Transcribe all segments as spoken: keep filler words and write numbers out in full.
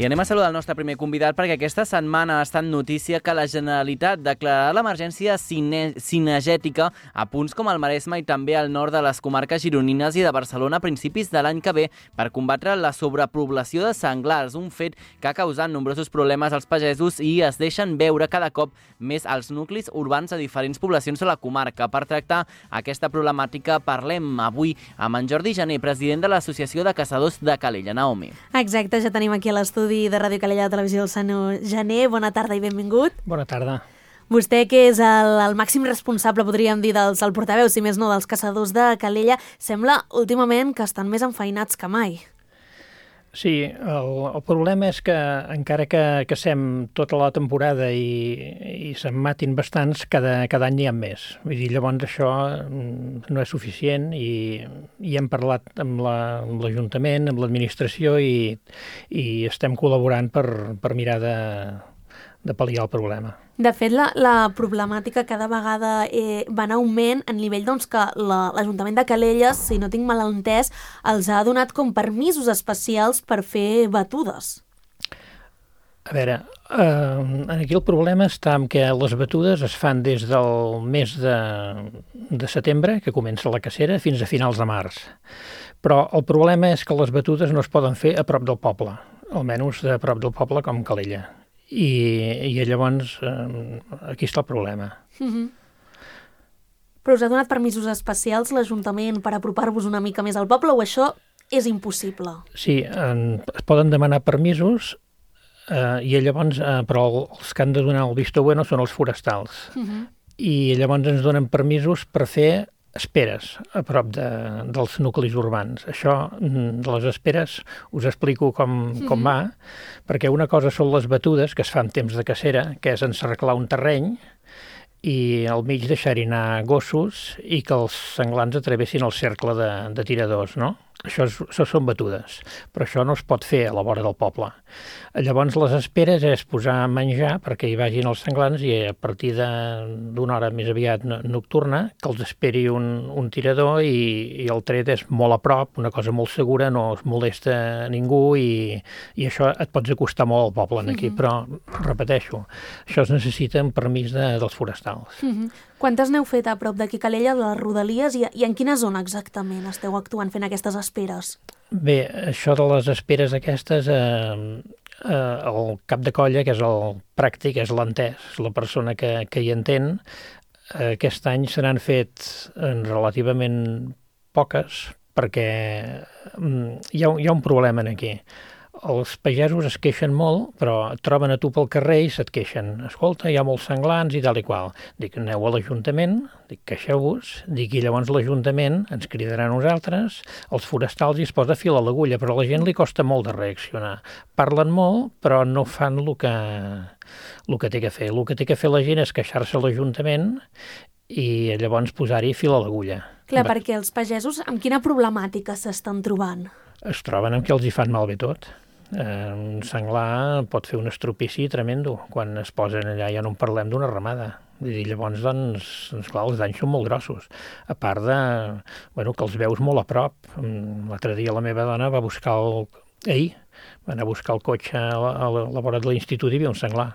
I anem a saludar el nostre primer convidat perquè aquesta setmana ha estat notícia que la Generalitat declararà l'emergència cine cinegètica a punts com el Maresme i també al nord de les comarques gironines i de Barcelona a principis de l'any que ve per combatre la sobrepoblació de senglars, un fet que ha causat nombrosos problemes als pagesos i es deixen veure cada cop més als nuclis urbans de diferents poblacions de la comarca. Per tractar aquesta problemàtica parlem avui amb en Jordi Jané, president de l'Associació de Caçadors de Calella. Naomi. Exacte, ja tenim aquí a l'estudi de Ràdio Calella de Televisió el senyor Jané. Bona tarda i benvingut. Bona tarda. Vostè, que és el, el màxim responsable, podríem dir, dels, el portaveu, si més no, dels caçadors de Calella, sembla últimament que estan més enfeinats que mai. Sí, el, el problema és que encara que cacem tota la temporada i, i se'n matin bastants, cada, cada any n'hi ha més. Vull dir, llavors això no és suficient i, i hem parlat amb l'Ajuntament, la, amb l'administració i, i estem col·laborant per, per mirar de, de pal·liar el problema. De fet, la, la problemàtica cada vegada eh, va en augment a nivell doncs, que l'Ajuntament de Calella, si no tinc mal entès, els ha donat com permisos especials per fer batudes. A veure, eh, aquí el problema està en que les batudes es fan des del mes de, de setembre, que comença la cacera, fins a finals de març. Però el problema és que les batudes no es poden fer a prop del poble, almenys a prop del poble com Calella. I, i llavors eh, aquí està el problema. Mm-hmm. Però us ha donat permisos especials l'Ajuntament per apropar-vos una mica més al poble o això és impossible? Sí, en, es poden demanar permisos eh, i llavors, eh, però els que han de donar el visto bueno són els forestals. Mm-hmm. I llavors ens donen permisos per fer esperes a prop de, dels nuclis urbans. Això, de les esperes, us explico com, com va, perquè una cosa són les batudes, que es fa en temps de cacera, que és encerclar un terreny i al mig deixar-hi anar gossos i que els senglars atravessin el cercle de, de tiradors, no? Això, és, això són batudes, però això no es pot fer a la vora del poble. Llavors les esperes és posar menjar perquè hi vagin els senglars i a partir d'una hora més aviat nocturna que els esperi un, un tirador i, i el tret és molt a prop, una cosa molt segura, no es molesta a ningú i, i això et pots acostar molt al poble aquí, mm-hmm. però repeteixo, això es necessita en permís de, dels forestals. Mm-hmm. Quantes n'heu fet a prop d'aquí Calella, de les Rodalies, i, i en quina zona exactament esteu actuant fent aquestes esperes? Bé, això de les esperes aquestes, eh, eh, el cap de colla, que és el pràctic, és l'entès, la persona que, que hi entén, eh, aquest any se n'han fet eh, relativament poques, perquè eh, hi, ha, hi ha un problema aquí. Els pagesos es queixen molt, però et troben a tu pel carrer i se't queixen. Escolta, hi ha molts senglars i tal i qual. Dic, aneu a l'Ajuntament, dic, queixeu-vos, dic, i llavors l'Ajuntament ens cridarà a nosaltres, els forestals, i es posa fil a l'agulla, però a la gent li costa molt de reaccionar. Parlen molt, però no fan el que, el que té que fer. El que té que fer la gent és queixar-se a l'Ajuntament i llavors posar-hi fil a l'agulla. Clar, Va. perquè els pagesos amb quina problemàtica s'estan trobant? Es troben amb que els hi fan malbé tot. Eh, un senglar pot fer un estropici tremendo quan es posen allà, ja no en parlem d'una ramada. I llavors, doncs, doncs, clar, els danys són molt grossos. A part de, bueno, que els veus molt a prop. L'altre dia la meva dona va buscar el... Ahir, va anar a buscar el cotxe a la, a la vora de l'institut i hi havia un senglar.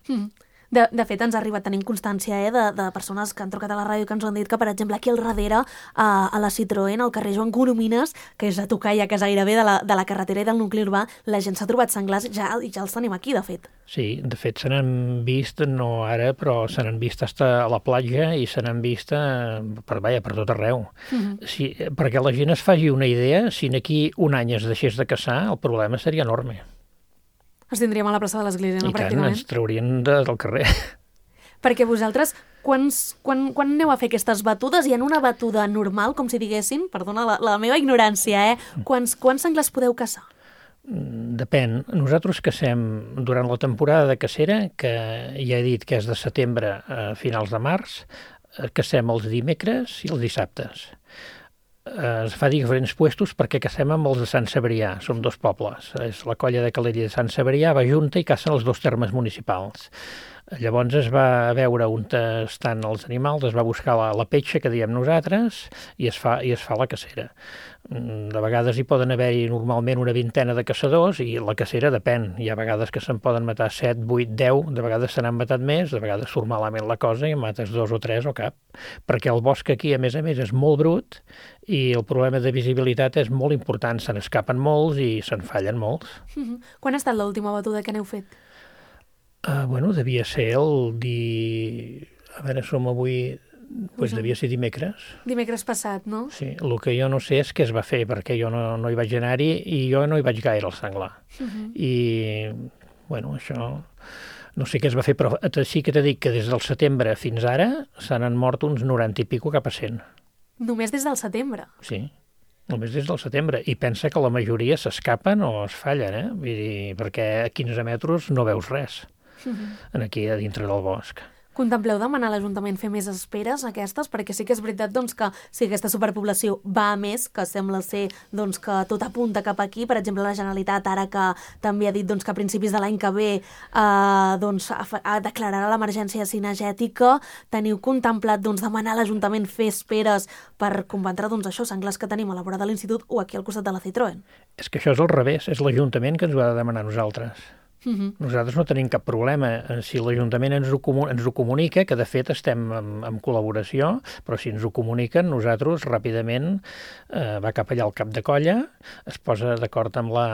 Mm. De, de fet, ens ha arribat, tenim constància eh, de, de persones que han trucat a la ràdio que ens han dit que, per exemple, aquí al darrere, a, a la Citroën, al carrer Joan Coromines, que és a tocar ja, que és gairebé de la, de la carretera i del nucli urbà, la gent s'ha trobat senglars ja, i ja els tenim aquí, de fet. Sí, de fet se n'han vist, no ara, però se n'han vist fins a la platja i se n'han vist per, vaja, per tot arreu. Mm-hmm. Si, perquè la gent es faci una idea, si aquí un any es deixés de caçar, el problema seria enorme. Ens tindríem a la plaça de l'Església, no? I tant, ens traurien de, del carrer. Perquè vosaltres, quants, quan, quan aneu a fer aquestes batudes? I en una batuda normal, com si diguessin, perdona la, la meva ignorància, eh? Quants, quants senglars podeu caçar? Depèn. Nosaltres cacem durant la temporada de cacera, que ja he dit que és de setembre a finals de març, cacem els dimecres i els dissabtes. Es fa diferents puestos perquè cacem amb els de Sant Cebrià, som dos pobles. És la colla de Calella de Sant Cebrià, va junta i cacen els dos termes municipals. Llavors es va veure on estan els animals, es va buscar la, la petxa, que diem nosaltres, i es fa, i es fa la cacera. De vegades hi poden haver-hi normalment una vintena de caçadors i la cacera depèn. Hi ha vegades que se'n poden matar set, vuit, deu, de vegades se n'han matat més, de vegades surt malament la cosa i en mates dos o tres o cap. Perquè el bosc aquí, a més a més, és molt brut i el problema de visibilitat és molt important. Se n'escapen molts i se'n fallen molts. Mm-hmm. Quan ha estat l'última batuda que n'heu fet? Uh, bueno, devia ser el di... A veure, som avui... Pues devia ser dimecres. Dimecres passat, no? Sí, el que jo no sé és què es va fer, perquè jo no, no hi vaig anar-hi i jo no hi vaig gaire al senglar. Uh-huh. I, bueno, això... No sé què es va fer, però sí que t'he dit que des del setembre fins ara se n'han mort uns noranta i pico cap a cent. Només des del setembre? Sí, només des del setembre. I pensa que la majoria s'escapen o es fallen, eh? Vull dir, perquè a quinze metres no veus res. Uh-huh. Aquí a dintre del bosc. Contempleu demanar a l'Ajuntament fer més esperes aquestes? Perquè sí que és veritat doncs, que si aquesta superpoblació va a més, que sembla ser doncs, que tot apunta cap aquí, per exemple la Generalitat ara que també ha dit doncs, que a principis de l'any que ve eh, doncs, declararà l'emergència cinegètica, teniu contemplat doncs, demanar a l'Ajuntament fer esperes per combatre doncs, això, senglars que tenim a la vora de l'Institut o aquí al costat de la Citroën? És que això és al revés, és l'Ajuntament que ens ho ha de demanar a nosaltres. Uh-huh. Nosaltres no tenim cap problema. Si l'Ajuntament ens ho, ens ho comunica, que de fet estem en, en col·laboració, però si ens ho comuniquen, nosaltres ràpidament eh, va cap allà al cap de colla, es posa d'acord amb la,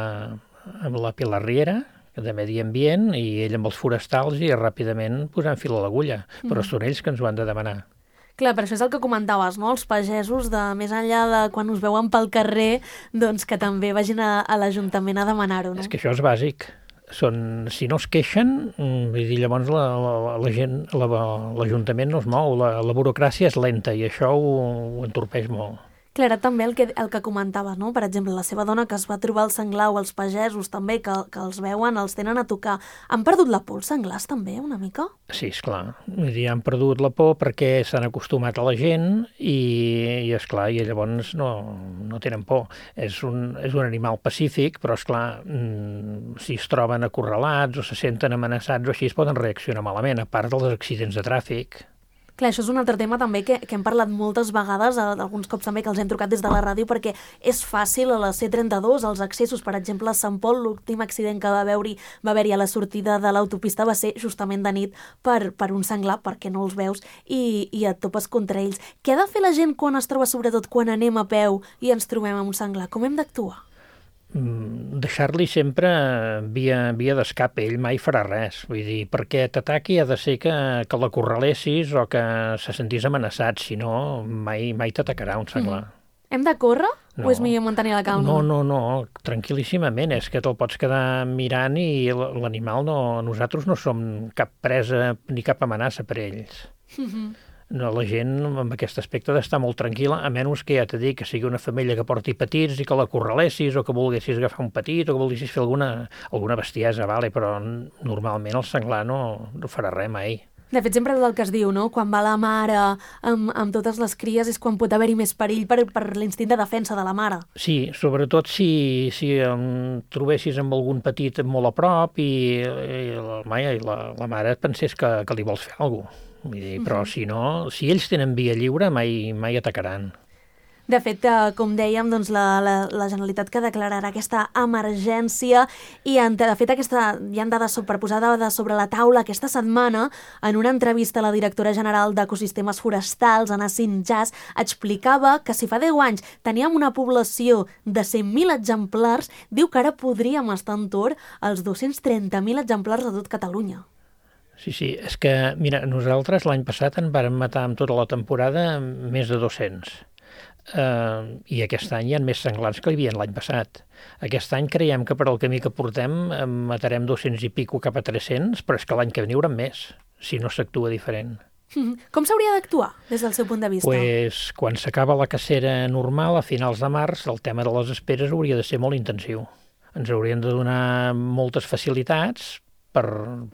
amb la Pilar Riera, de Medi Ambient, i ell amb els forestals, i ràpidament posant fil a l'agulla. Uh-huh. Però són ells que ens ho han de demanar. Clar, per això és el que comentaves, no? Els pagesos, de més enllà de quan us veuen pel carrer, doncs que també vagin a, a l'Ajuntament a demanar-ho, no? És que això és bàsic. Són, si no es queixen, vull dir, llavors la, la, la gent, la, l'Ajuntament no es mou, la, la burocràcia és lenta i això ho, ho entorpeix molt. Clara, també el que, el que comentaves, no? Per exemple, la seva dona que es va trobar el senglar o els pagesos també, que, que els veuen, els tenen a tocar. Han perdut la por els senglars també, una mica? Sí, esclar. Vull dir, han perdut la por perquè s'han acostumat a la gent i, i esclar, i llavors no, no tenen por. És un, és un animal pacífic, però esclar, mmm, si es troben acorralats o se senten amenaçats o així es poden reaccionar malament, a part dels accidents de tràfic. Clar, això és un altre tema també que, que hem parlat moltes vegades, alguns cops també que els hem trucat des de la ràdio, perquè és fàcil a la C trenta-dos, els accessos, per exemple, a Sant Pol, l'últim accident que va haver-hi va haver-hi a la sortida de l'autopista va ser justament de nit per, per un senglar, perquè no els veus, i, i et topes contra ells. Què ha de fer la gent quan es troba, sobretot quan anem a peu i ens trobem amb un senglar? Com hem d'actuar? Deixar-li sempre via, via d'escap, ell mai farà res. Vull dir, perquè t'ataqui ha de ser que, que l'acorralessis o que se sentís amenaçat, si no mai, mai t'atacarà un senglar. Mm. Hem de córrer no. o és millor mantenir la calma? No, no, no, tranquil·líssimament, és que te'l pots quedar mirant i l'animal no... Nosaltres no som cap presa ni cap amenaça per ells. Mm-hmm. No, la gent amb aquest aspecte d'estar molt tranquil·la, a menys que ja t'he dit que sigui una família que porti petits i que l'acorralessis o que volguessis agafar un petit o que volguessis fer alguna, alguna bestiesa, vale? Però normalment el senglar no, no farà res mai. De fet, sempre és el que es diu, no? Quan va la mare amb, amb totes les cries és quan pot haver-hi més perill per, per l'instint de defensa de la mare. Sí, sobretot si, si em trobessis amb algun petit molt a prop i, i, la, i la, la mare et pensés que, que li vols fer alguna cosa. Però si no, si ells tenen via lliure, mai, mai atacaran. De fet, eh, com dèiem, doncs la, la, la Generalitat que declararà aquesta emergència i, de fet, aquesta, hi ha dades per posar dades sobre la taula aquesta setmana. En una entrevista a la directora general d'Ecosistemes Forestals, Anna Sinjas, explicava que si fa deu anys teníem una població de cent mil exemplars, diu que ara podríem estar entorn als dos-cents trenta mil exemplars de tot Catalunya. Sí, sí, és que, mira, nosaltres l'any passat en vàrem matar amb tota la temporada més de dos-cents. Uh, I aquest any hi ha més senglars que hi havia l'any passat. Aquest any creiem que per al camí que portem matarem dos-cents i pico cap a tres-cents, però és que l'any que ve n'hi haurà més, si no s'actua diferent. Com s'hauria d'actuar des del seu punt de vista? Pues, quan s'acaba la cacera normal, a finals de març, el tema de les esperes hauria de ser molt intensiu. Ens haurien de donar moltes facilitats per,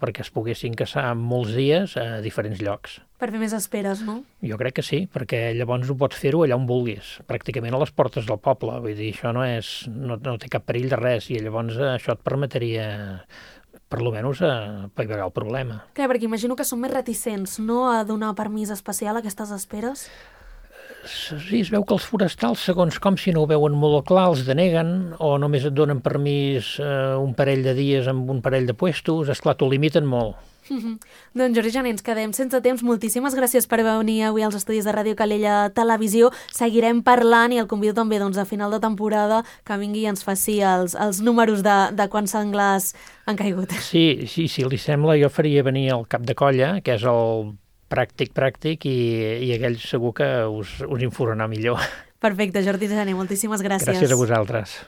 perquè es poguessin caçar molts dies a diferents llocs. Per fer més esperes, no? Jo crec que sí, perquè llavors ho pots fer-ho allà on vulguis, pràcticament a les portes del poble. Vull dir, això no, és, no, no té cap perill de res i llavors això et permetria per lo menys a paivagar el problema. Clar, perquè imagino que són més reticents, no?, a donar permís especial a aquestes esperes. Sí, es veu que els forestals, segons com, si no ho veuen molt clar, els deneguen o només et donen permís eh, un parell de dies amb un parell de puestos. Esclar, t'ho limiten molt. Mm-hmm. Doncs Jordi Jané, ens quedem sense temps. Moltíssimes gràcies per venir avui als estudis de Ràdio Calella Televisió. Seguirem parlant i el convido també doncs, a final de temporada que vingui i ens faci els, els números de, de quants senglars han caigut. Sí, sí, si li sembla, jo faria venir el cap de colla, que és el pràctic, pràctic, i, i aquell segur que us, us informarà millor. Perfecte, Jordi Jané, moltíssimes gràcies. Gràcies a vosaltres.